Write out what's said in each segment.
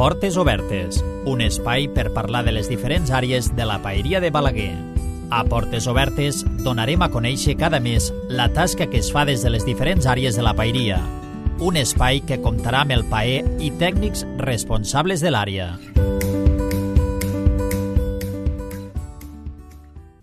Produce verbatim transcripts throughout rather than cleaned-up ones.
Portes Obertes, un espai per parlar de les diferents àrees de la paeria de Balaguer. A Portes Obertes donarem a conèixer cada mes la tasca que es fa des de les diferents àrees de la paeria. Un espai que comptarà amb el paer i tècnics responsables de l'àrea.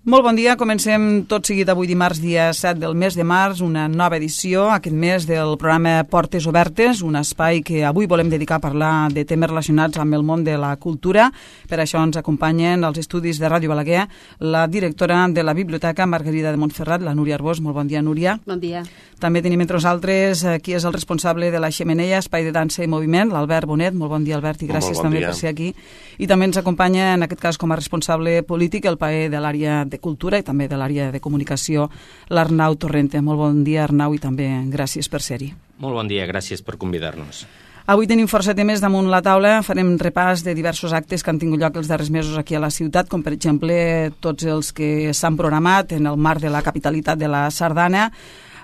Molt bon dia, comencem tot seguit avui dimarts, dia set del mes de març, una nova edició, aquest mes del programa Portes Obertes, un espai que avui volem dedicar a parlar de temes relacionats amb el món de la cultura. Per això ens acompanyen als estudis de Ràdio Balaguer la directora de la Biblioteca Margarida de Montferrat, la Núria Arbós. Molt bon dia, Núria. Bon dia. També tenim entre nosaltres qui és el responsable de la Xemeneia, Espai de Dansa i Moviment, l'Albert Bonet. Molt bon dia, Albert, i gràcies bon també dia. Per ser aquí. I també ens acompanya, en aquest cas, com a responsable polític, el paer de l'àrea de Cultura i també de l'àrea de comunicació, l'Arnau Torrente. Molt bon dia, Arnau, i també gràcies per ser-hi. Molt bon dia, gràcies per convidar-nos. Avui tenim força temes damunt la taula. Farem repàs de diversos actes que han tingut lloc els darrers mesos aquí a la ciutat, com per exemple tots els que s'han programat en el marc de la capitalitat de la Sardana.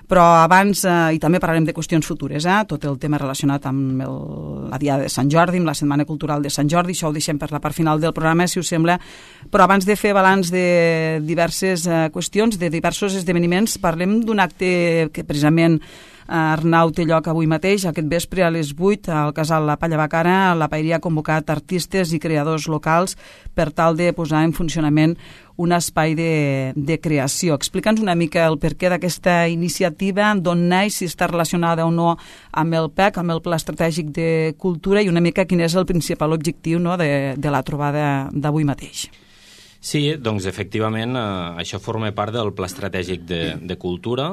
Però abans, eh, i també parlarem de qüestions futures, eh? Tot el tema relacionat amb el, la Diada de Sant Jordi, amb la Setmana Cultural de Sant Jordi, això ho deixem per la part final del programa, si us sembla. Però abans de fer balanç de diverses eh, qüestions, de diversos esdeveniments, parlem d'un acte que precisament Arnau té lloc avui mateix, aquest vespre a les vuit, al casal La Palla Bacara. La paeria ha convocat artistes i creadors locals per tal de posar en funcionament un espai de, de creació. Explica'ns una mica el perquè d'aquesta iniciativa, d'on naix, si està relacionada o no amb el P E C, amb el Pla Estratègic de Cultura, i una mica quin és el principal objectiu, no, de, de la trobada d'avui mateix. Sí, doncs efectivament eh, això forma part del Pla Estratègic de, de Cultura.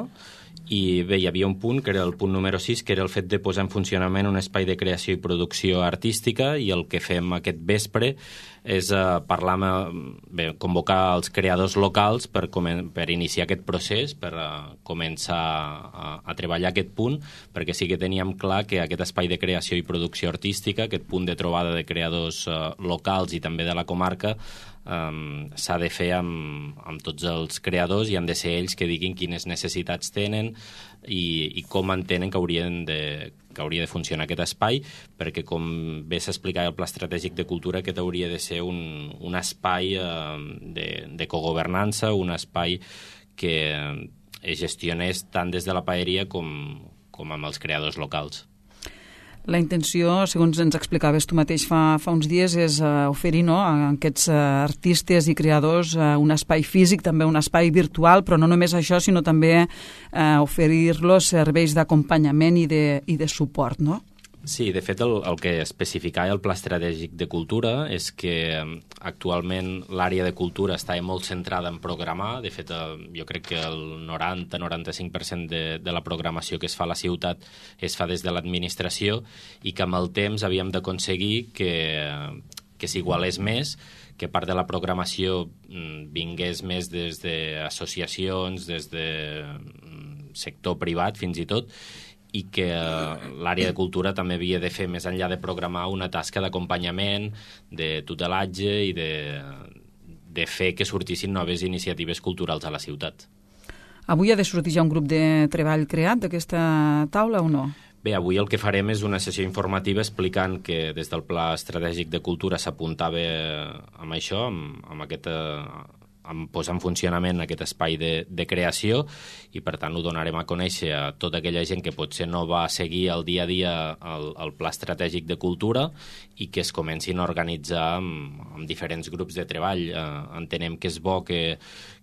I bé, hi havia un punt, que era el punt número sis, que era el fet de posar en funcionament un espai de creació i producció artística, i el que fem aquest vespre és eh, parlar amb, bé, convocar els creadors locals per, per iniciar aquest procés, per eh, començar a, a treballar aquest punt, perquè sí que teníem clar que aquest espai de creació i producció artística, aquest punt de trobada de creadors eh, locals i també de la comarca, Um, s'ha de fer amb, amb tots els creadors, i han de ser ells que diguin quines necessitats tenen i, i com entenen que haurien de, que hauria de funcionar aquest espai, perquè com bé s'explicava el Pla Estratègic de Cultura, aquest hauria de ser un, un espai uh, de, de cogovernança, un espai que es gestionés tant des de la paeria com, com amb els creadors locals. La intenció, segons ens explicaves tu mateix fa, fa uns dies, és uh, oferir, no, a aquests uh, artistes i creadors uh, un espai físic, també un espai virtual, però no només això, sinó també uh, oferir-los serveis d'acompanyament i, de, i de suport, no? Sí, de fet, el, el que especificava el Pla Estratègic de Cultura és que actualment l'àrea de cultura està molt centrada en programar. De fet, jo crec que el noranta a noranta-cinc per cent de, de la programació que es fa a la ciutat es fa des de l'administració, i que amb el temps havíem d'aconseguir que, que s'igualés més, que part de la programació vingués més des d'associacions, des de sector privat fins i tot, i que l'àrea de cultura també havia de fer, més enllà de programar, una tasca d'acompanyament, de tutelatge i de, de fer que sortissin noves iniciatives culturals a la ciutat. Avui ha de sortir ja un grup de treball creat d'aquesta taula o no? Bé, avui el que farem és una sessió informativa explicant que des del Pla Estratègic de Cultura s'apuntava amb això, amb, amb aquesta... en posar en funcionament aquest espai de, de creació, i per tant ho donarem a conèixer a tota aquella gent que potser no va seguir el dia a dia el, el Pla Estratègic de Cultura, i que es comencin a organitzar amb, amb diferents grups de treball. Eh, entenem que és bo que,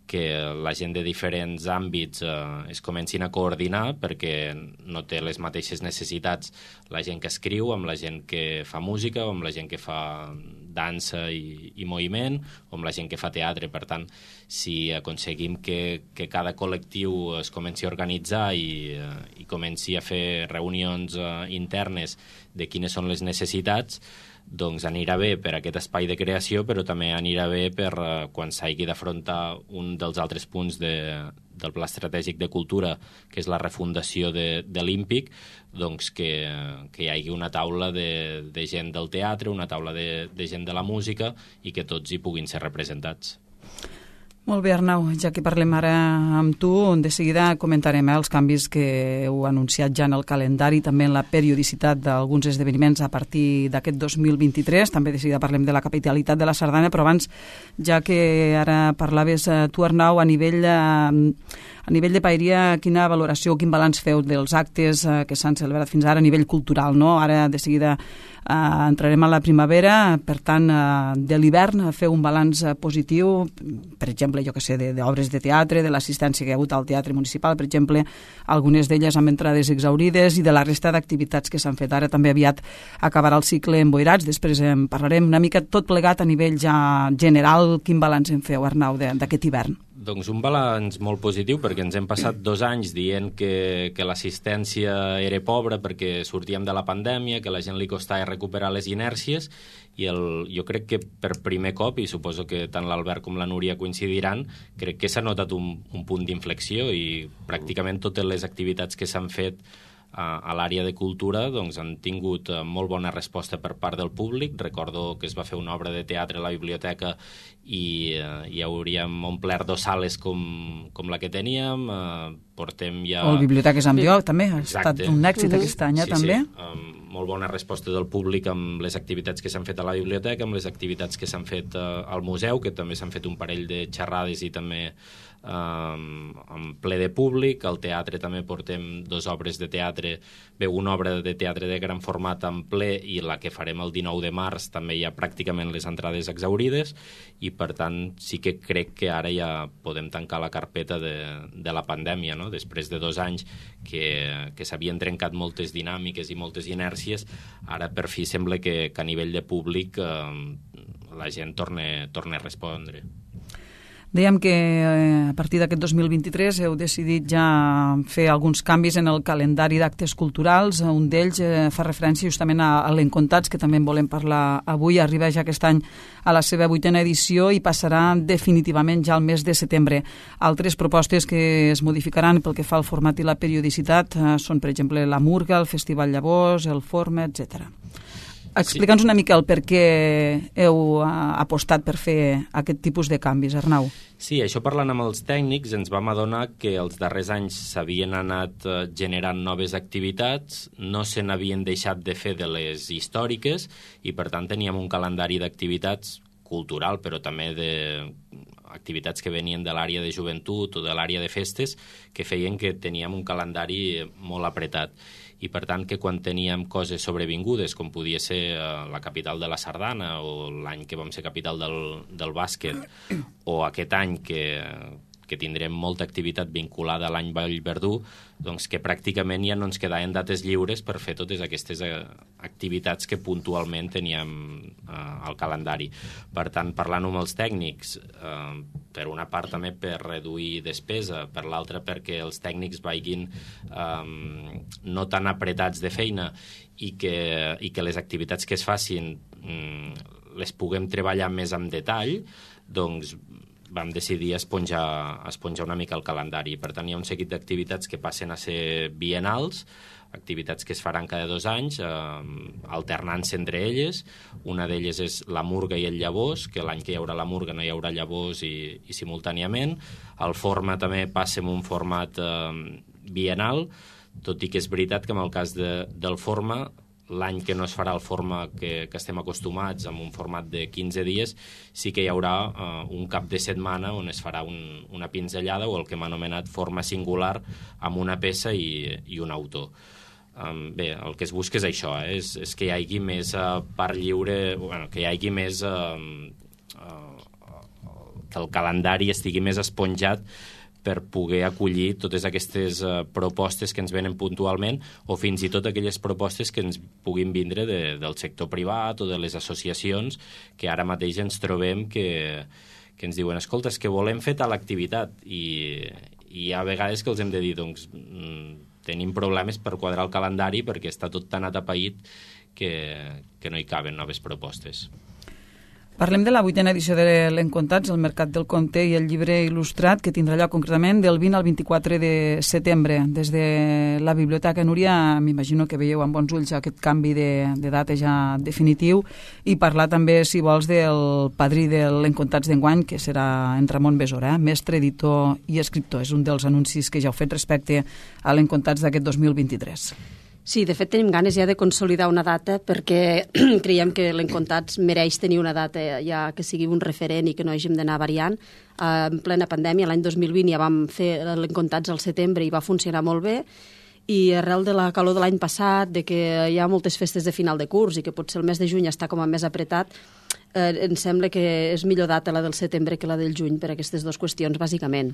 que la gent de diferents àmbits eh, es comencin a coordinar, perquè no té les mateixes necessitats la gent que escriu amb la gent que fa música, o amb la gent que fa dansa i, i moviment, o amb la gent que fa teatre. Per tant, si aconseguim que, que cada col·lectiu es comenci a organitzar i, i comenci a fer reunions uh, internes de quines són les necessitats, doncs anirà bé per aquest espai de creació, però també anirà bé per uh, quan s'hagi d'afrontar un dels altres punts de, del Pla Estratègic de Cultura, que és la refundació de, de l'Ímpic, doncs que, que hi hagi una taula de, de gent del teatre, una taula de, de gent de la música, i que tots hi puguin ser representats. Molt bé, Arnau, ja que parlem ara amb tu, de seguida comentarem eh, els canvis que heu anunciat ja en el calendari, també en la periodicitat d'alguns esdeveniments a partir d'aquest dos mil vint-i-tres, també de seguida parlem de la capitalitat de la Sardana, però abans, ja que ara parlaves eh, tu, Arnau, a nivell, eh, a nivell de paeria, quina valoració, quin balanç feu dels actes eh, que s'han celebrat fins ara a nivell cultural, no? Ara de seguida Uh, entrarem a la primavera, per tant, uh, de l'hivern feu un balanç uh, positiu, per exemple, jo que sé, d'obres de, de teatre, de l'assistència que hi ha hagut al Teatre Municipal, per exemple, algunes d'elles amb entrades exaurides, i de la resta d'activitats que s'han fet. Ara també aviat acabarà el cicle Emboirats, després en parlarem una mica tot plegat a nivell ja general. Quin balanç en feu, Arnau, d'aquest hivern? Doncs un balanç molt positiu, perquè ens hem passat dos anys dient que, que l'assistència era pobra perquè sortíem de la pandèmia, que a la gent li costava recuperar les inèrcies, i el, jo crec que per primer cop, i suposo que tant l'Albert com la Núria coincidiran, crec que s'ha notat un, un punt d'inflexió, i pràcticament totes les activitats que s'han fet a, a l'àrea de cultura doncs, han tingut molt bona resposta per part del públic. Recordo que es va fer una obra de teatre a la biblioteca i eh, hi hauríem omplert dos sales com, com la que teníem. Eh, portem ja... O el Biblioteques amb Lloc, també. Ha Exacte. estat un èxit uh-huh. aquest any, sí, també. Sí, um, molt bona resposta del públic amb les activitats que s'han fet a la biblioteca, amb les activitats que s'han fet uh, al museu, que també s'han fet un parell de xerrades i també um, en ple de públic. Al teatre també portem dues obres de teatre, bé, una obra de teatre de gran format en ple, i la que farem el dinou de març també hi ha pràcticament les entrades exaurides, i per tant sí que crec que ara ja podem tancar la carpeta de, de la pandèmia, no? Després de dos anys que, que s'havien trencat moltes dinàmiques i moltes inèrcies, ara per fi sembla que, que a nivell de públic eh, la gent torna, torna a respondre. Dèiem que eh, a partir d'aquest dos mil vint-i-tres heu decidit ja fer alguns canvis en el calendari d'actes culturals. Un d'ells eh, fa referència justament a, a l'Encontats, que també en volem parlar avui. Arriba ja aquest any a la seva vuitena edició i passarà definitivament ja al mes de setembre. Altres propostes que es modificaran pel que fa al format i la periodicitat eh, són, per exemple, la Murga, el Festival Llavors, el Forma, etcètera. Explica'ns una mica el per què heu apostat per fer aquest tipus de canvis, Arnau. Sí, això parlant amb els tècnics ens vam adonar que els darrers anys s'havien anat generant noves activitats, no se n'havien deixat de fer de les històriques, i per tant teníem un calendari d'activitats cultural, però també de activitats que venien de l'àrea de joventut o de l'àrea de festes, que feien que teníem un calendari molt apretat. I per tant que quan teníem coses sobrevingudes, com podia ser uh, la capital de la Sardana, o l'any que vam ser capital del, del bàsquet, o aquest any que, que tindrem molta activitat vinculada a l'any Vallverdú, doncs que pràcticament ja no ens quedaven dates lliures per fer totes aquestes uh, activitats que puntualment teníem uh, al calendari. Per tant, parlant amb els tècnics, uh, per una part també per reduir despesa, per l'altra perquè els tècnics vagin um, no tan apretats de feina, i que, i que les activitats que es facin um, les puguem treballar més en detall, doncs vam decidir esponjar, esponjar una mica el calendari. Per tant, hi ha un seguit d'activitats que passen a ser biennals, activitats que es faran cada dos anys, eh, alternant-se entre elles. Una d'elles és la Murga i el Llavors, que l'any que hi haurà la Murga no hi haurà Llavors, i, i simultàniament. El Forma també passa en un format eh, biennal, tot i que és veritat que en el cas de, del Forma, l'any que no es farà el Forma que, que estem acostumats, amb un format de quinze dies, sí que hi haurà uh, un cap de setmana on es farà un, una pinzellada, o el que hem anomenat forma singular, amb una peça i, i un autor. Um, bé, el que es busca és això, eh? és, és que hi hagi més uh, part lliure, bueno, que hi hagi més... Uh, uh, que el calendari estigui més esponjat per poder acollir totes aquestes uh, propostes que ens venen puntualment, o fins i tot aquelles propostes que ens puguin vindre de, del sector privat o de les associacions, que ara mateix ens trobem que, que ens diuen, escolta, és que volem fer tal activitat, i, i hi ha vegades que els hem de dir, doncs, mm, tenim problemes per quadrar el calendari perquè està tot tan atapeït que, que no hi caben noves propostes. Parlem de la vuitena edició de l'Encontats, el Mercat del Conte i el llibre il·lustrat, que tindrà lloc concretament del vint al vint-i-quatre de setembre. Des de la Biblioteca Núria m'imagino que veieu amb bons ulls aquest canvi de, de data ja definitiu, i parlar també, si vols, del padrí de l'Encontats d'enguany, que serà en Ramon Besora, eh? mestre, editor i escriptor. És un dels anuncis que ja heu fet respecte a l'Encontats d'aquest dos mil vint-i-tres. Sí, de fet tenim ganes ja de consolidar una data perquè creiem que l'Encontats mereix tenir una data ja que sigui un referent i que no hàgim d'anar variant. En plena pandèmia, l'any dos mil vint, ja vam fer l'Encontats al setembre i va funcionar molt bé, i arrel de la calor de l'any passat, de que hi ha moltes festes de final de curs i que potser el mes de juny està com a més apretat, eh, ens sembla que és millor data la del setembre que la del juny per aquestes dues qüestions, bàsicament.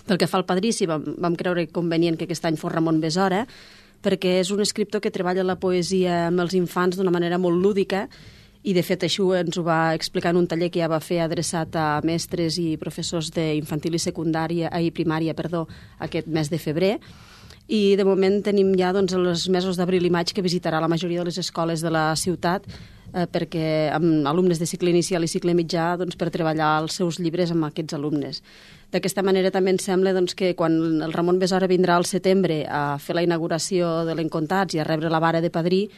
Pel que fa al padrí, sí, vam, vam creure convenient que aquest any fos Ramon Besora, perquè és un escriptor que treballa la poesia amb els infants d'una manera molt lúdica, i de fet això ens ho va explicar en un taller que ja va fer adreçat a mestres i professors d'infantil i secundària, i primària, perdó, aquest mes de febrer. I de moment tenim ja doncs, els mesos d'abril i maig que visitarà la majoria de les escoles de la ciutat, eh, perquè amb alumnes de cicle inicial i cicle mitjà, doncs, per treballar els seus llibres amb aquests alumnes. D'aquesta manera també ens sembla doncs, que quan el Ramon Besora vindrà al setembre a fer la inauguració de l'Encontats i a rebre la vara de padrí,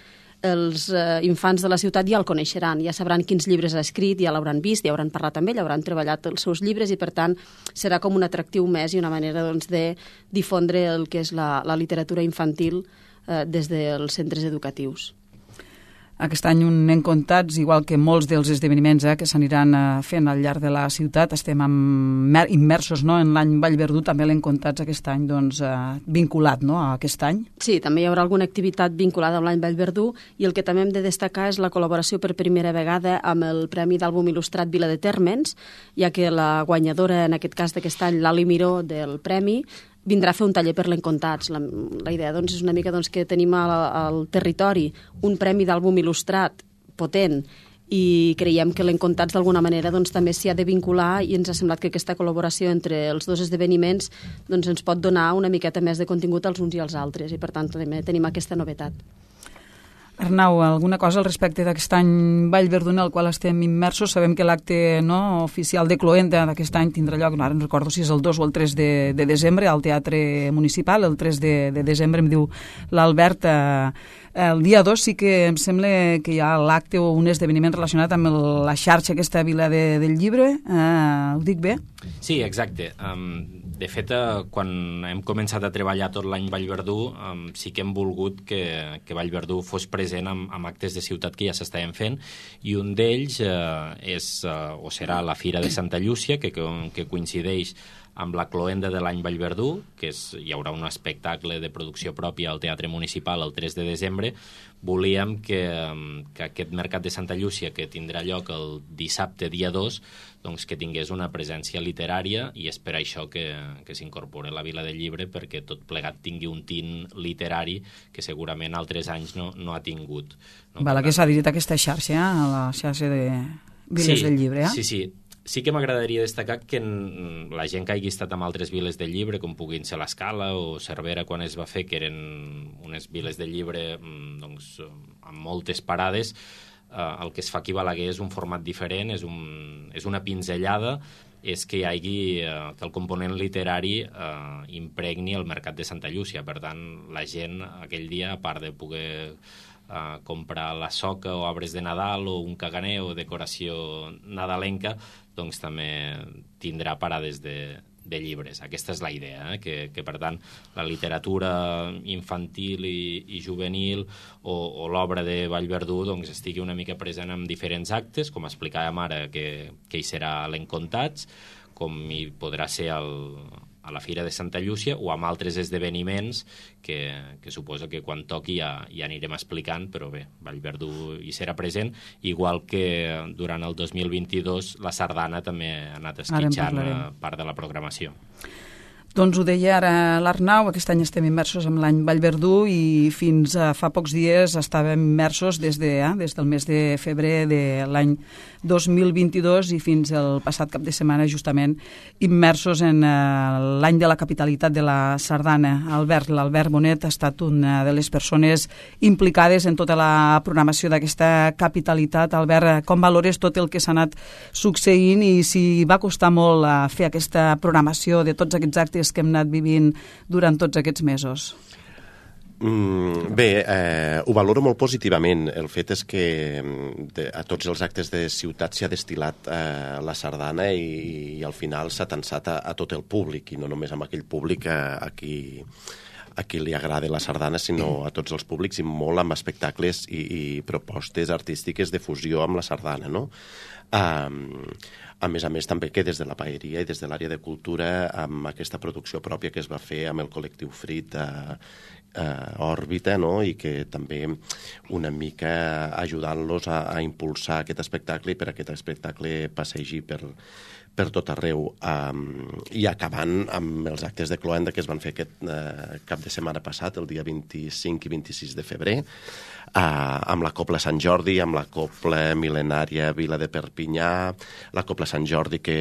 els eh, infants de la ciutat ja el coneixeran, ja sabran quins llibres ha escrit, ja l'hauran vist, ja hauran parlat amb ell, hauran treballat els seus llibres, i per tant serà com un atractiu més i una manera doncs, de difondre el que és la, la literatura infantil eh, des dels centres educatius. Aquest any un Encontats, igual que molts dels esdeveniments eh, que s'aniran eh, fent al llarg de la ciutat, estem amb, immersos no, en l'any Vallverdú, també l'Encontats aquest any doncs, eh, vinculat no, a aquest any. Sí, també hi haurà alguna activitat vinculada amb l'any Vallverdú, i el que també hem de destacar és la col·laboració per primera vegada amb el Premi d'Àlbum Il·lustrat Vila de Térmens, ja que la guanyadora, en aquest cas d'aquest any, l'Ali Miró del Premi, vindrà a fer un taller per l'Encontats. La, la idea doncs, és una mica doncs, que tenim al, al territori un premi d'àlbum il·lustrat potent, i creiem que l'Encontats d'alguna manera doncs, també s'hi ha de vincular, i ens ha semblat que aquesta col·laboració entre els dos esdeveniments doncs, ens pot donar una miqueta més de contingut als uns i als altres, i per tant també tenim aquesta novetat. Arnau, alguna cosa al respecte d'aquest any Vallverdú en el qual estem immersos? Sabem que l'acte no, oficial de Cloenda d'aquest any tindrà lloc, no, ara no recordo si és el dos o el tres de, de desembre, al Teatre Municipal. El tres de, de desembre, em diu l'Albert. Eh, el dia dos sí que em sembla que hi ha l'acte o un esdeveniment relacionat amb el, la xarxa aquesta Vila de, del Llibre. Eh, ho dic bé? Sí, exacte. Um, de fet, uh, quan hem començat a treballar tot l'any Vallverdú, um, sí que hem volgut que, que Vallverdú fos present amb, amb actes de ciutat que ja s'estaven fent, i un d'ells uh, és, uh, o serà la Fira de Santa Llúcia, que, que, que coincideix amb la Cloenda de l'any Vallverdú, que és, hi haurà un espectacle de producció pròpia al Teatre Municipal el tres de desembre. Volíem que, que aquest Mercat de Santa Llúcia, que tindrà lloc el dissabte dia dos, doncs que tingués una presència literària, i és per això que, que s'incorpora la Vila del Llibre, perquè tot plegat tingui un tint literari que segurament altres anys no, no ha tingut. No? Val, que s'ha dit aquesta xarxa, eh? La xarxa de Viles sí, del Llibre. Eh? Sí, sí. Sí que m'agradaria destacar que la gent que hagi estat amb altres viles del llibre, com puguin ser l'Escala o Cervera, quan es va fer, que eren unes viles del llibre doncs, amb moltes parades, eh, el que es fa aquí a Balaguer és un format diferent, és, un, és una pinzellada, és que hi hagi, eh, que el component literari eh, impregni el Mercat de Santa Llúcia. Per tant, la gent aquell dia, a part de poder Uh, comprar la soca o arbres de Nadal o un caganer o decoració nadalenca, doncs també tindrà parades de, de llibres. Aquesta és la idea, eh? que, que per tant la literatura infantil i, i juvenil o, o l'obra de Vallverdú doncs, estigui una mica present en diferents actes, com explicàvem ara que, que hi serà l'Encontats, com hi podrà ser el, a la Fira de Santa Llúcia o amb altres esdeveniments que, que suposo que quan toqui ja, ja anirem explicant, però bé, Vallverdú hi serà present, igual que durant el dos mil vint-i-dos la sardana també ha anat esquitxant part de la programació. Doncs ho deia ara l'Arnau, aquest any estem immersos en l'any Vallverdú i fins a fa pocs dies estàvem immersos des, de, eh, des del mes de febrer de l'any dos mil vint-i-dos i fins al passat cap de setmana justament immersos en eh, l'any de la capitalitat de la sardana. Albert, l'Albert Bonet ha estat una de les persones implicades en tota la programació d'aquesta capitalitat. Albert, com valores tot el que s'ha anat succeint i si va costar molt a fer aquesta programació de tots aquests actes que hem anat vivint durant tots aquests mesos? Mm, bé, eh, ho valoro molt positivament. El fet és que de, a tots els actes de ciutat s'hi ha destil·lat eh, la sardana i, i al final s'ha tensat a, a tot el públic i no només amb aquell públic a, a qui a qui li agrada la sardana, sinó a tots els públics i molt amb espectacles i, i propostes artístiques de fusió amb la sardana, no? Um, a més a més també que des de la paeria i des de l'àrea de cultura amb aquesta producció pròpia que es va fer amb el col·lectiu Frit a, a Òrbita, no? I que també una mica ajudant-los a, a impulsar aquest espectacle i per aquest espectacle passegi per, per tot arreu, um, i acabant amb els actes de cloenda que es van fer aquest uh, cap de setmana passat, el dia vint-i-cinc i vint-i-sis de febrer, uh, amb la Copla Sant Jordi, amb la Copla Mil·lenària Vila de Perpinyà, la Copla Sant Jordi que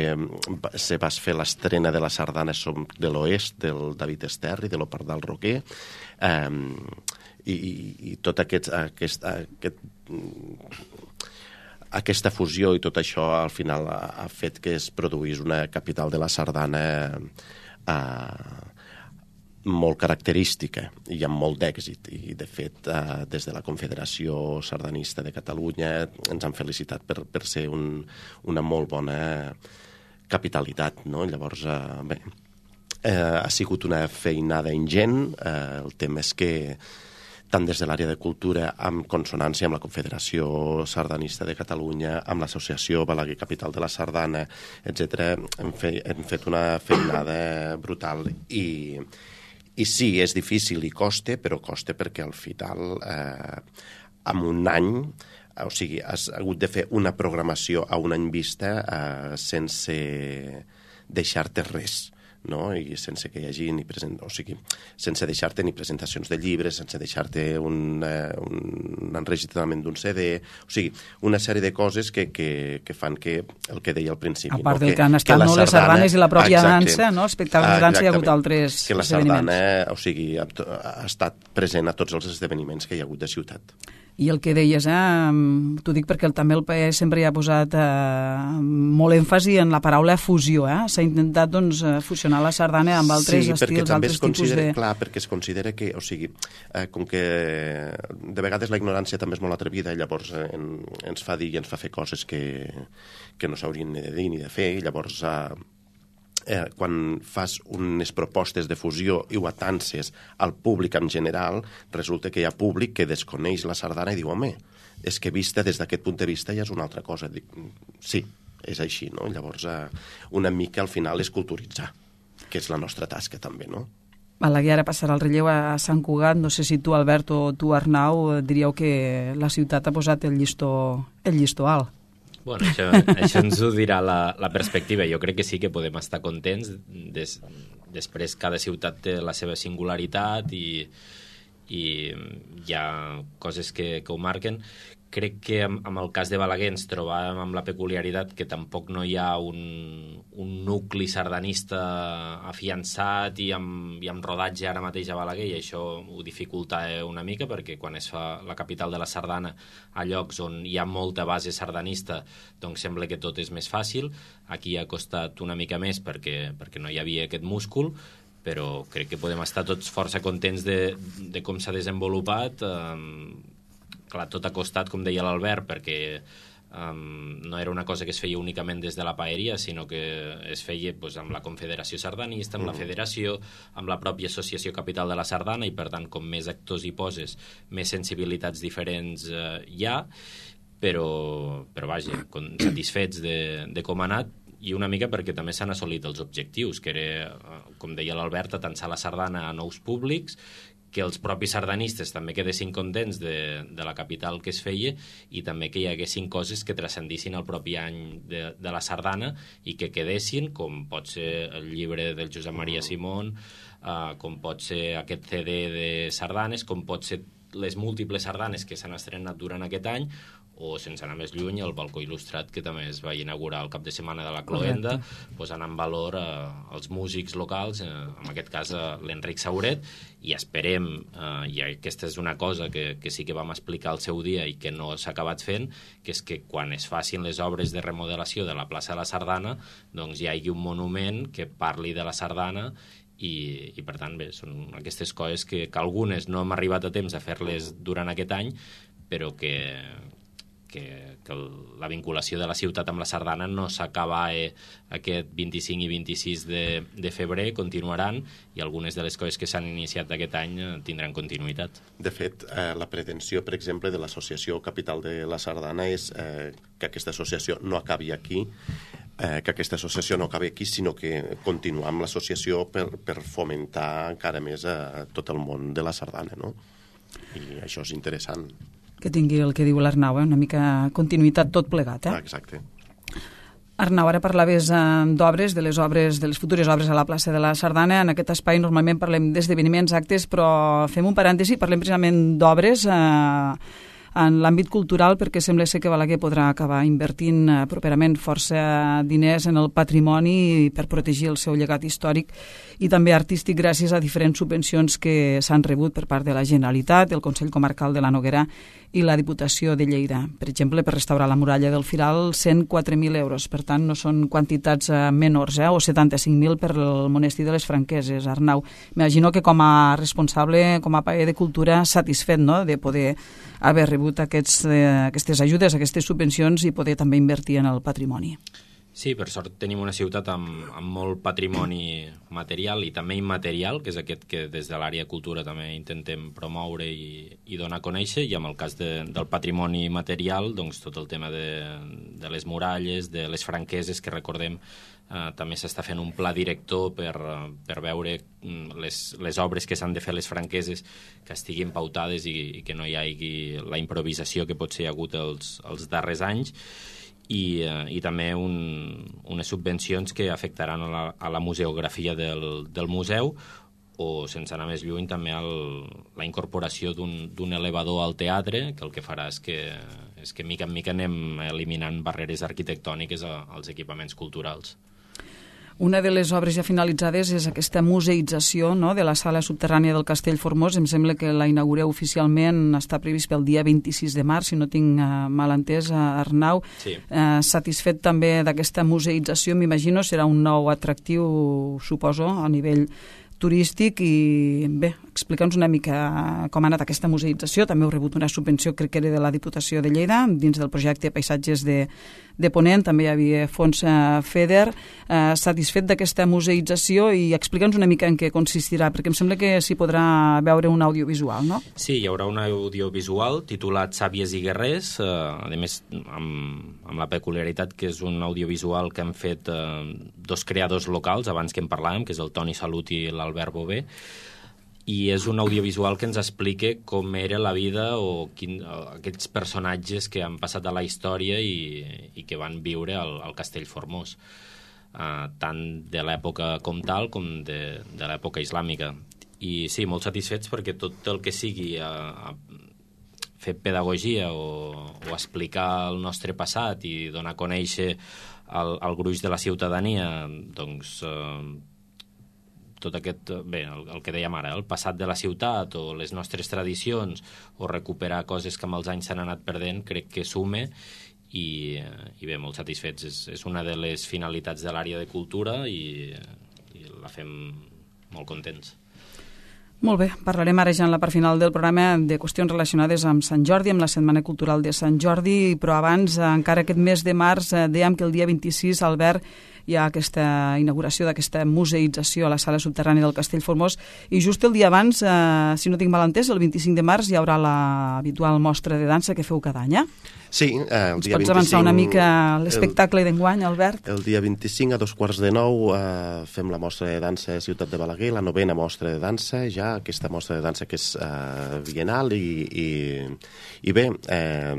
se va fer l'estrena de la sardana Som de l'Oest, del David Esterri, de l'Opardal Roquer, um, i, i, i tot aquest... aquest, aquest aquesta fusió i tot això al final ha, ha fet que es produís una capital de la sardana eh, molt característica i amb molt d'èxit. I, de fet, eh, des de la Confederació Sardanista de Catalunya ens han felicitat per, per ser un, una molt bona capitalitat, no? Llavors, eh, bé, eh, ha sigut una feinada ingent. Eh, el tema és que tant des de l'àrea de cultura, amb consonància amb la Confederació Sardanista de Catalunya, amb l'Associació Balaguer Capital de la Sardana, etcètera, hem, fe, hem fet una feinada brutal i, i sí, és difícil i costa, però costa perquè al final, eh, en un any, o sigui, has hagut de fer una programació a un any vista eh, sense deixar-te res, no? I sense que hi hagi ni present... o sigui, sense deixar-te ni presentacions de llibres, sense deixar-te un, eh, un enregistrament d'un C D, o sigui, una sèrie de coses que, que, que fan que, el que deia al principi... A part no? del que, que han estat no, les sardanes i la pròpia exacte, dansa, no? Espectacles de dansa, hi ha hagut altres que la esdeveniments. sardana, o sigui, ha, ha estat present a tots els esdeveniments que hi ha hagut de ciutat. I el que deies, eh, t'ho dic perquè el, també el P A E sempre hi ha posat eh, molt èmfasi en la paraula fusió, eh? S'ha intentat doncs, fusionar la sardana amb altres sí, estils, altres tipus de... Clar, perquè es considera que, o sigui, eh, com que de vegades la ignorància també és molt atrevida, llavors eh, en, ens fa dir i ens fa fer coses que, que no s'haurien ni de dir ni de fer, i llavors... Eh, Eh, quan fas unes propostes de fusió i ho atances al públic en general, resulta que hi ha públic que desconeix la sardana i diu, home, és que vista des d'aquest punt de vista ja és una altra cosa. Dic, sí, és així, no? Llavors, eh, una mica al final és culturitzar, que és la nostra tasca també, no? Balaguer ara passarà el relleu a Sant Cugat. No sé si tu, Albert, o tu, Arnau, diríeu que la ciutat ha posat el llistó, el llistó alt. Bueno, això, això ens ho dirà la, la perspectiva. Jo crec que sí que podem estar contents. Des, després cada ciutat té la seva singularitat i, i hi ha coses que, que ho marquen. Crec que amb, amb el cas de Balaguer ens trobàvem amb la peculiaritat que tampoc no hi ha un, un nucli sardanista afiançat i amb, i amb rodatge ara mateix a Balaguer, i això ho dificulta una mica perquè quan es fa la capital de la sardana a llocs on hi ha molta base sardanista, doncs sembla que tot és més fàcil. Aquí ha costat una mica més perquè, perquè no hi havia aquest múscul, però crec que podem estar tots força contents de, de com s'ha desenvolupat. Eh, clar, tot ha costat, com deia l'Albert, perquè um, no era una cosa que es feia únicament des de la paeria, sinó que es feia pues, amb la Confederació Sardanista, amb mm. la Federació, amb la pròpia Associació Capital de la Sardana, i per tant, com més actors hi poses, més sensibilitats diferents uh, hi ha, però, però vaja, satisfets de, de com ha anat, i una mica perquè també s'han assolit els objectius, que era, com deia l'Albert, atançar la sardana a nous públics, que els propis sardanistes també quedessin contents de, de la capital que es feia i també que hi haguessin coses que transcendissin el propi any de, de la sardana i que quedessin, com pot ser el llibre del Josep Maria Simón, uh, com pot ser aquest C D de sardanes, com pot ser les múltiples sardanes que s'han estrenat durant aquest any, o, sense anar més lluny, el balcó il·lustrat, que també es va inaugurar el cap de setmana de la Cloenda, posant en valor eh, els músics locals, eh, en aquest cas eh, l'Enric Sauret, i esperem, eh, i aquesta és una cosa que, que sí que vam explicar al seu dia i que no s'ha acabat fent, que és que quan es facin les obres de remodelació de la plaça de la Sardana, doncs hi hagi un monument que parli de la sardana i, i per tant, bé, són aquestes coses que, que algunes no hem arribat a temps a fer-les durant aquest any, però que... Que, que la vinculació de la ciutat amb la sardana no s'acaba eh, aquest vint-i-cinc i vint-i-sis de, de febrer, continuaran, i algunes de les coses que s'han iniciat aquest any eh, tindran continuïtat. De fet, eh, la pretensió, per exemple, de l'Associació Capital de la Sardana és eh, que aquesta associació no acabi aquí, eh, que aquesta associació no acabi aquí, sinó que continuar amb l'associació per, per fomentar encara més a tot el món de la sardana, no? I això és interessant. Que tingui el que diu l'Arnau, eh? Una mica continuïtat tot plegat. Eh? Ah, exacte. Arnau, ara parlaves eh, d'obres, de les obres, de les futures obres a la plaça de la Sardana. En aquest espai normalment parlem d'esdeveniments, actes, però fem un parèntesi, parlem precisament d'obres eh, en l'àmbit cultural, perquè sembla ser que Balaguer podrà acabar invertint eh, properament força diners en el patrimoni per protegir el seu llegat històric i també artístic gràcies a diferents subvencions que s'han rebut per part de la Generalitat, el Consell Comarcal de la Noguera i la Diputació de Lleida. Per exemple, per restaurar la muralla del Firal, cent quatre mil euros. Per tant, no són quantitats eh, menors, eh? o setanta-cinc mil per el monestir de les Franqueses. Arnau, m'imagino que com a responsable, com a paller de cultura, satisfet, no?, de poder haver rebut aquests, eh, aquestes ajudes, aquestes subvencions i poder també invertir en el patrimoni. Sí, per sort tenim una ciutat amb, amb molt patrimoni material i també immaterial, que és aquest que des de l'àrea de cultura també intentem promoure i, i donar a conèixer, i amb el cas de, del patrimoni material, doncs tot el tema de, de les muralles, de les franqueses, que recordem eh, també s'està fent un pla director per, per veure les, les obres que s'han de fer les franqueses que estiguin pautades i, i que no hi hagi la improvisació que potser hi ha hagut els, els darrers anys. I, eh, i també un, unes subvencions que afectaran a la, a la museografia del, del museu, o, sense anar més lluny, també el, la incorporació d'un elevador al teatre, que el que farà és que, és que mica en mica anem eliminant barreres arquitectòniques a, als equipaments culturals. Una de les obres ja finalitzades és aquesta museïtzació, no?, de la sala subterrània del Castell Formós. Em sembla que la inaugureu oficialment, està previst pel dia vint-i-sis de març, si no tinc uh, mal entès, uh, Arnau. Sí. Uh, satisfet també d'aquesta museïtzació, m'imagino, serà un nou atractiu, suposo, a nivell turístic. I bé, explica'ns una mica com ha anat aquesta museïtzació. També heu rebut una subvenció, crec que era de la Diputació de Lleida, dins del projecte Paisatges de, de Ponent, també hi havia fons eh, FEDER. Eh, satisfet d'aquesta museïtzació, i explica'ns una mica en què consistirà, perquè em sembla que s'hi podrà veure un audiovisual, no? Sí, hi haurà un audiovisual titulat Sàvies i Guerrers, eh, a més amb, amb la peculiaritat que és un audiovisual que han fet eh, dos creadors locals, abans que en parlàvem, que és el Toni Salut i l'Albert Bové, i és un audiovisual que ens explica com era la vida o quin, aquests personatges que han passat a la història i, i que van viure al, al Castell Formós, uh, tant de l'època comtal com de, de l'època islàmica. I sí, molt satisfets perquè tot el que sigui a, a fer pedagogia o, o explicar el nostre passat i donar a conèixer el, el gruix de la ciutadania, doncs... Uh, tot aquest, bé, el, el que dèiem ara, el passat de la ciutat o les nostres tradicions o recuperar coses que amb els anys s'han anat perdent, crec que sume i, i bé, molt satisfets. És, és una de les finalitats de l'àrea de cultura i, i la fem molt contents. Molt bé, parlarem ara ja en la part final del programa de qüestions relacionades amb Sant Jordi, amb la Setmana Cultural de Sant Jordi, però abans, encara aquest mes de març, dèiem que el dia vint-i-sis, Albert, hi ha aquesta inauguració d'aquesta museïtzació a la sala subterrània del Castell Formós, i just el dia abans, eh, si no tinc mal entès, el vint-i-cinc de març hi haurà l'habitual mostra de dansa que feu cada any, eh? Sí, eh, el dia Ens pots vint-i-cinc... avançar una mica l'espectacle d'enguany, Albert? El dia vint-i-cinc a dos quarts de nou eh, fem la mostra de dansa a Ciutat de Balaguer, la novena mostra de dansa, ja aquesta mostra de dansa que és eh, bienal, i, i, i bé, eh,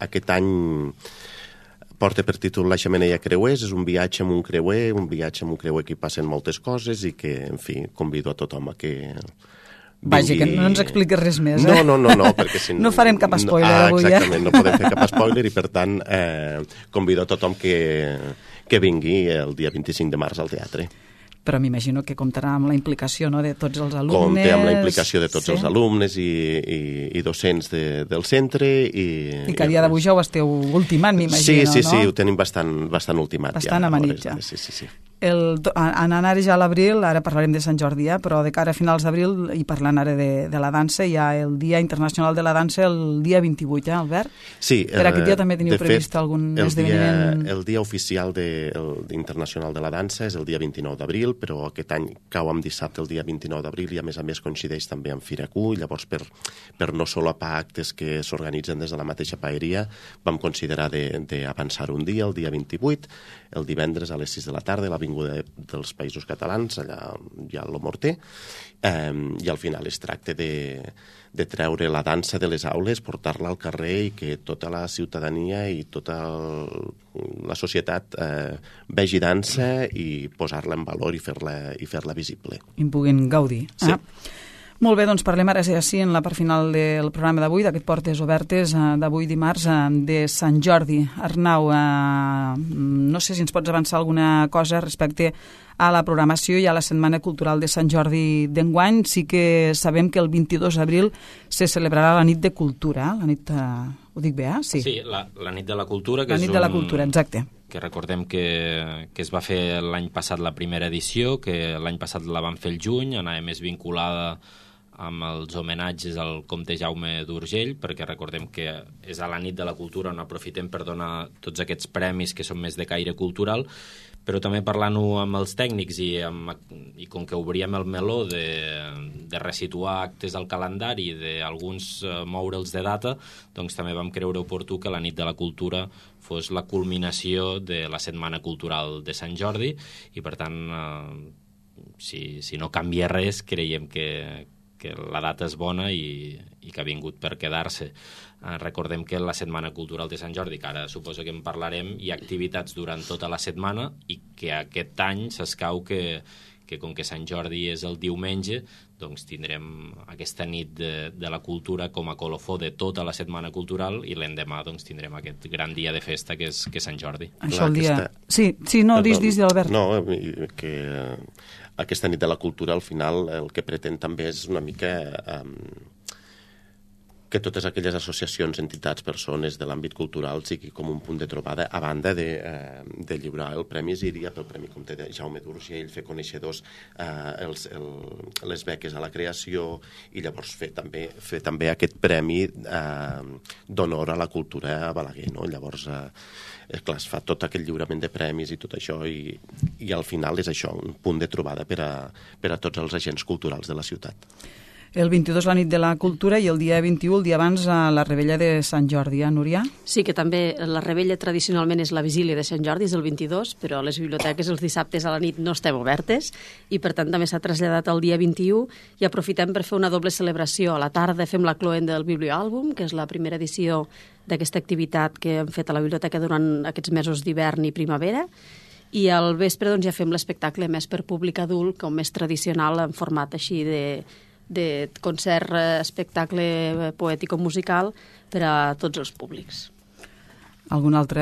aquest any porta per títol La Xemeneia Creuers, és un viatge amb un creuer, un viatge amb un creuer que hi passen moltes coses i que, en fi, convido a tothom a que... Vaja, que no ens expliques res més, eh? No, eh? no, no, no, perquè si no... No farem cap spoiler ah, avui, eh? Exactament, no podem fer cap spoiler i, per tant, eh, convido a tothom que, que vingui el dia vint-i-cinc de març al teatre. Però m'imagino que comptarà amb la implicació, no?, de tots els alumnes. Compte amb la implicació de tots sí. els alumnes i, i, i docents de, del centre. I, I que a dia d'avui ja ho esteu ultimant, m'imagino, sí, sí, no? Sí, sí, ho tenim bastant, bastant ultimat. Bastant ja, amanit, ja. Sí, sí, sí. El, anant ara ja a l'abril, ara parlarem de Sant Jordi, eh? Però de cara a finals d'abril, i parlant ara de, de la dansa, hi ha el Dia Internacional de la Dansa el dia vint-i-vuit, eh, Albert? Sí. Per aquest dia també teniu previst fet, algun el esdeveniment? Dia, el dia oficial de, el, internacional de la dansa és el dia vint-i-nou d'abril, però aquest any cau amb dissabte el dia vint-i-nou d'abril i a més a més coincideix també amb Fira Q, llavors per, per no solapar actes que s'organitzen des de la mateixa paeria vam considerar d'avançar un dia, el dia vint-i-vuit, el divendres a les sis de la tarda, a l'Avinguda dels Països Catalans, allà hi ha el Morter, eh, i al final es tracta de, de treure la dansa de les aules, portar-la al carrer i que tota la ciutadania i tota el, la societat eh, vegi dansa i posar-la en valor i fer-la i fer-la visible. I en puguin gaudir. Sí. Ah. Molt bé, doncs parlem ara ja sí en la part final del programa d'avui, d'aquest Portes Obertes d'avui dimarts de Sant Jordi. Arnau, eh, no sé si ens pots avançar alguna cosa respecte a la programació i a la Setmana Cultural de Sant Jordi d'enguany. Sí que sabem que el vint-i-dos d'abril se celebrarà la nit de cultura, eh? La nit, eh, ho dic bé, eh? Sí, sí la, la nit de la cultura. Que la nit és de la un... cultura, exacte. Que recordem que, que es va fer l'any passat la primera edició, que l'any passat la vam fer el juny, anava més vinculada amb els homenatges al comte Jaume d'Urgell, perquè recordem que és a la nit de la cultura on aprofitem per donar tots aquests premis que són més de caire cultural, però també parlant-ho amb els tècnics i, amb, i com que obríem el meló de, de resituar actes al calendari, d'alguns eh, moure'ls de data, doncs també vam creure oportú que la nit de la cultura fos la culminació de la Setmana Cultural de Sant Jordi i, per tant, eh, si, si no canvia res, creiem que, que la data és bona i, i que ha vingut per quedar-se. Eh, recordem que la Setmana Cultural de Sant Jordi, que ara suposo que en parlarem, hi ha activitats durant tota la setmana i que aquest any s'escau que, que com que Sant Jordi és el diumenge, doncs tindrem aquesta nit de, de la cultura com a colofó de tota la Setmana Cultural i l'endemà doncs, tindrem aquest gran dia de festa que és, que és Sant Jordi. Això el dia... Sí, sí, no, dis, dis, Albert. No, que aquesta nit de la cultura al final el que pretén també és una mica... Um, que totes aquelles associacions, entitats, persones de l'àmbit cultural sigui com un punt de trobada a banda de, eh, de lliurar el Premi Síria, pel Premi Comte de Jaume d'Urgell, fer coneixedors eh, els, el, les beques a la creació i llavors fer també, fer també aquest premi eh, d'honor a la cultura a Balaguer, no? Llavors, eh, clar, es fa tot aquest lliurament de premis i tot això i, i al final és això, un punt de trobada per a, per a tots els agents culturals de la ciutat. El vint-i-dos la nit de la cultura i el dia vint-i-u, el dia abans, a la Rebella de Sant Jordi, eh, Núria? Sí, que també la Rebella tradicionalment és la vigília de Sant Jordi, és el vint-i-dos, però les biblioteques els dissabtes a la nit no estem obertes i per tant també s'ha traslladat al dia vint-i-u i aprofitem per fer una doble celebració. A la tarda fem la cloenda del biblioàlbum, que és la primera edició d'aquesta activitat que hem fet a la biblioteca durant aquests mesos d'hivern i primavera, i al vespre doncs, ja fem l'espectacle més per públic adult, com més tradicional, en format així de... de concert, espectacle poètico-musical per a tots els públics. Algun altre,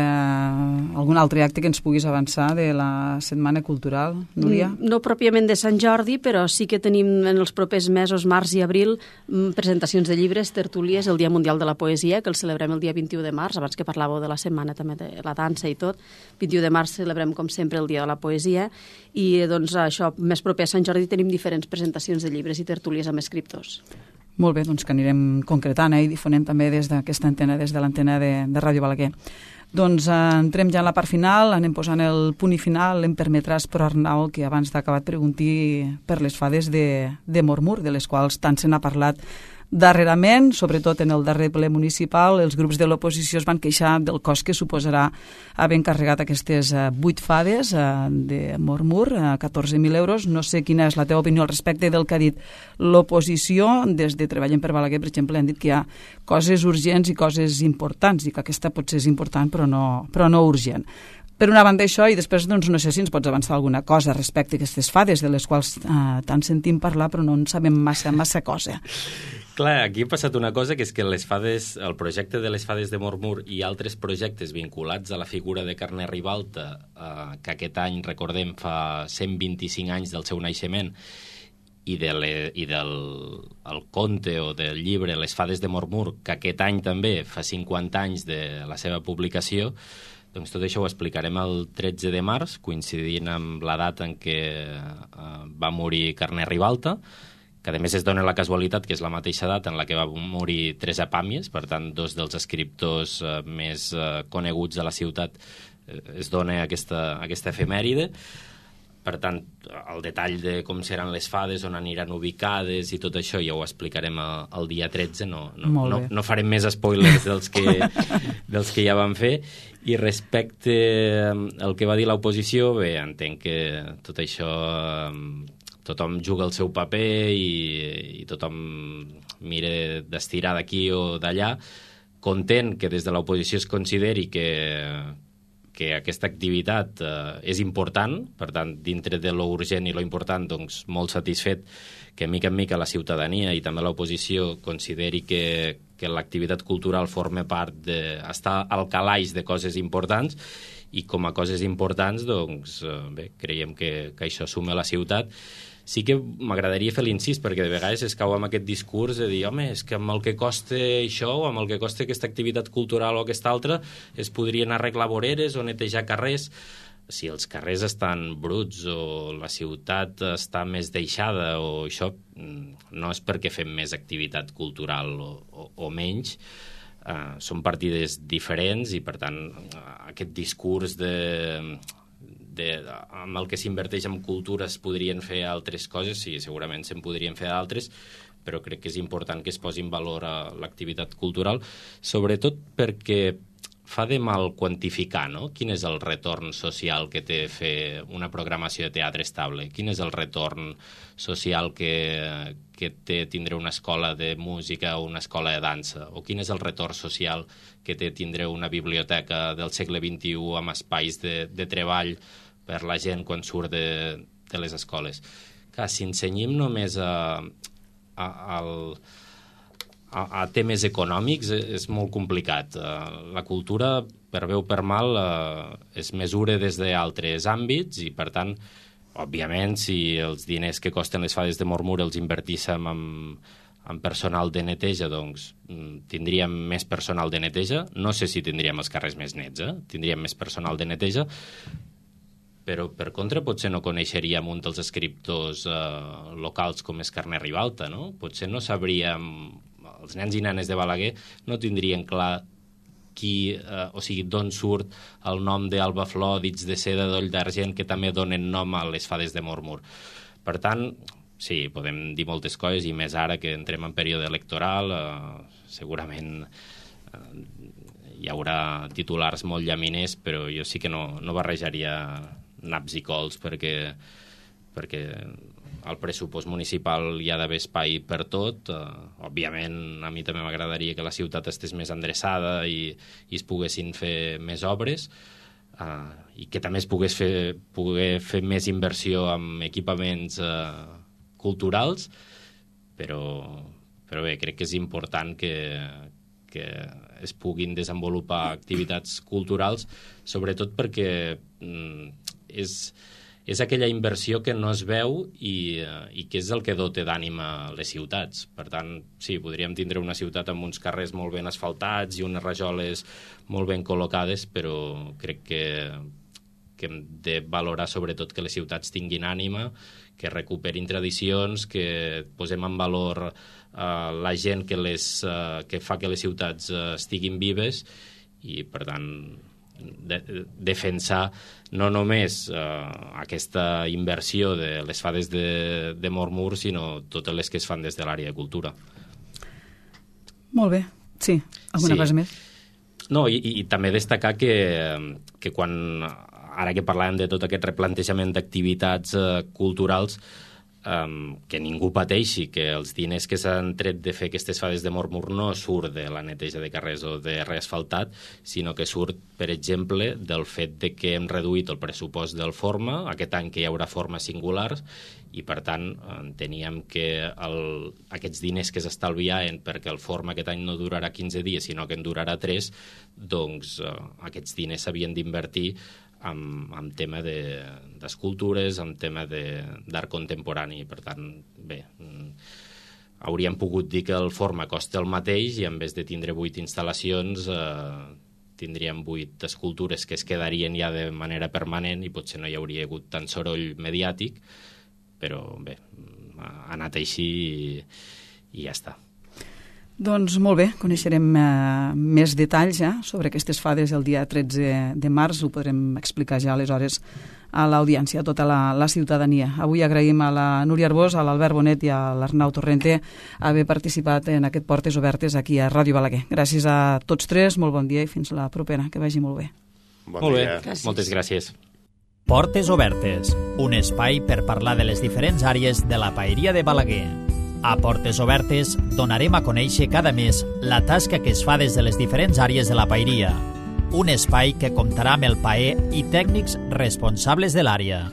algun altre acte que ens puguis avançar de la Setmana Cultural, Núria? No pròpiament de Sant Jordi, però sí que tenim en els propers mesos, març i abril, presentacions de llibres, tertúlies, el Dia Mundial de la Poesia, que el celebrem el dia vint-i-u de març, abans que parlàveu de la setmana també de la dansa i tot. vint-i-u de març celebrem, com sempre, el Dia de la Poesia i, doncs, això, més proper a Sant Jordi tenim diferents presentacions de llibres i tertúlies amb escriptors. Molt bé, doncs que anirem concretant eh, i difonent també des d'aquesta antena, des de l'antena de, de Ràdio Balaguer. Doncs eh, entrem ja en la part final, anem posant el punt i final. Em permetràs, però, Arnau, que abans d'acabar et pregunti per les fades de, de Mormur, de les quals tant se n'ha parlat darrerament, sobretot en el darrer ple municipal. Els grups de l'oposició es van queixar del cost que suposarà haver encarregat aquestes vuit fades eh, de Mormur, eh, catorze mil euros. No sé quina és la teva opinió al respecte del que ha dit l'oposició. Des de Treballem per Balaguer, per exemple, han dit que hi ha coses urgents i coses importants, i que aquesta potser és important però no, però no urgent. Per una banda això, i després doncs, no sé si ens pots avançar alguna cosa respecte a aquestes fades, de les quals eh, tant sentim parlar però no en sabem massa, massa cosa. Clar, aquí ha passat una cosa, que és que les fades, el projecte de les fades de Mormur i altres projectes vinculats a la figura de Carner Ribalta, eh, que aquest any, recordem, fa cent vint-i-cinc anys del seu naixement, i, de le, i del el conte o del llibre Les fades de Mormur, que aquest any també fa cinquanta anys de la seva publicació, doncs tot això ho explicarem el tretze de març, coincidint amb la data en què eh, va morir Carner Ribalta, que a més es dona la casualitat que és la mateixa data en la que va morir Teresa Pàmies, per tant, dos dels escriptors eh, més eh, coneguts de la ciutat, eh, es dona aquesta, aquesta efemèride. Per tant, el detall de com seran les fades, on aniran ubicades i tot això ja ho explicarem el, el dia tretze, no, no, no, no farem més spoilers dels que, dels que ja vam fer. I respecte al que va dir l'oposició, bé, entenc que tot això... tothom juga el seu paper i, i tothom mira d'estirar d'aquí o d'allà, content que des de l'oposició es consideri que, que aquesta activitat eh, és important, per tant, dintre de lo urgent i lo important, doncs molt satisfet que mica en mica la ciutadania i també l'oposició consideri que, que l'activitat cultural forma part de... està al calaix de coses importants, i com a coses importants, doncs, eh, bé, creiem que, que això suma a la ciutat. Sí que m'agradaria fer l'incís, perquè de vegades es cau amb aquest discurs de dir, home, és que amb el que costa això o amb el que costa aquesta activitat cultural o aquesta altra es podrien arreglar voreres o netejar carrers. Si els carrers estan bruts o la ciutat està més deixada o això, no és perquè fem més activitat cultural o, o, o menys. Uh, són partides diferents i, per tant, aquest discurs de... De, amb el que s'inverteix en cultura es podrien fer altres coses, sí, segurament se'n podrien fer altres, però crec que és important que es posi en valor a l'activitat cultural, sobretot perquè fa de mal quantificar, no? Quin és el retorn social que té fer una programació de teatre estable? Quin és el retorn social que, que té tindre una escola de música o una escola de dansa? O quin és el retorn social que té tindre una biblioteca del segle vint-i-u amb espais de, de treball per la gent quan surt de, de les escoles? Clar, si ensenyem només a, a, al, a, a temes econòmics és molt complicat. La cultura, per bé o per mal, es mesura des d'altres àmbits i, per tant, òbviament, si els diners que costen les fades de Mormur els invertíssim en, en personal de neteja, doncs tindríem més personal de neteja. No sé si tindríem els carrers més nets, eh? Tindríem més personal de neteja, però per contra potser no coneixeríem un dels escriptors eh, locals com és Carner Ribalta, no? Potser no sabríem, els nens i nenes de Balaguer no tindrien clar qui, eh, o sigui, d'on surt el nom d'Alba Flor, dits de seda, d'Oll d'Argent, que també donen nom a les fades de Mormur. Per tant, sí, podem dir moltes coses, i més ara que entrem en període electoral, eh, segurament eh, hi haurà titulars molt llaminers, però jo sí que no, no barrejaria naps i cols, perquè, perquè al pressupost municipal hi ha d'haver espai per tot. Uh, òbviament, a mi també m'agradaria que la ciutat estés més endreçada i, i es poguessin fer més obres, uh, i que també es pogués fer, poder fer més inversió en equipaments uh, culturals, però, però bé, crec que és important que, que es puguin desenvolupar activitats culturals, sobretot perquè mm, és, és aquella inversió que no es veu i, i que és el que dota d'ànima les ciutats. Per tant, sí, podríem tindre una ciutat amb uns carrers molt ben asfaltats i unes rajoles molt ben col·locades, però crec que, que hem de valorar sobretot que les ciutats tinguin ànima, que recuperin tradicions, que posem en valor Uh, la gent que, les, uh, que fa que les ciutats uh, estiguin vives, i per tant de, defensar no només eh, aquesta inversió de les fades de, de Mormur, sinó totes les que es fan des de l'àrea de cultura. Molt bé, sí. Alguna sí. cosa més? No, i, i també destacar que, que quan, ara que parlàvem de tot aquest replantejament d'activitats eh, culturals, Um, que ningú pateixi, que els diners que s'han tret de fer aquestes fades de Mormur no surt de la neteja de carrers o de reasfaltat, sinó que surt, per exemple, del fet de que hem reduït el pressupost del Forma, aquest any que hi haurà formes singulars, i per tant enteníem que el, aquests diners que s'estalviaven perquè el Forma aquest any no durarà quinze dies, sinó que en durarà tres, doncs uh, aquests diners s'havien d'invertir amb, amb tema d'escultures, de, amb tema d'art contemporani. Per tant, bé, hauríem pogut dir que el Forma costa el mateix i en vez de tindre vuit instal·lacions eh, tindríem vuit escultures que es quedarien ja de manera permanent i potser no hi hauria hagut tant soroll mediàtic, però bé, ha anat així i, i ja està. Doncs molt bé, coneixerem eh, més detalls ja sobre aquestes fades el dia tretze de març, ho podrem explicar ja aleshores a l'audiència, a tota la, la ciutadania. Avui agraïm a la Núria Arbós, a l'Albert Bonet i a l'Arnau Torrente haver participat en aquest Portes Obertes aquí a Ràdio Balaguer. Gràcies a tots tres, molt bon dia i fins la propera, que vagi molt bé. Bon molt bé, gràcies. Moltes gràcies. Portes Obertes, un espai per parlar de les diferents àrees de la paeria de Balaguer. A Portes Obertes donarem a conèixer cada mes la tasca que es fa des de les diferents àrees de la paeria. Un espai que comptarà amb el paer i tècnics responsables de l'àrea.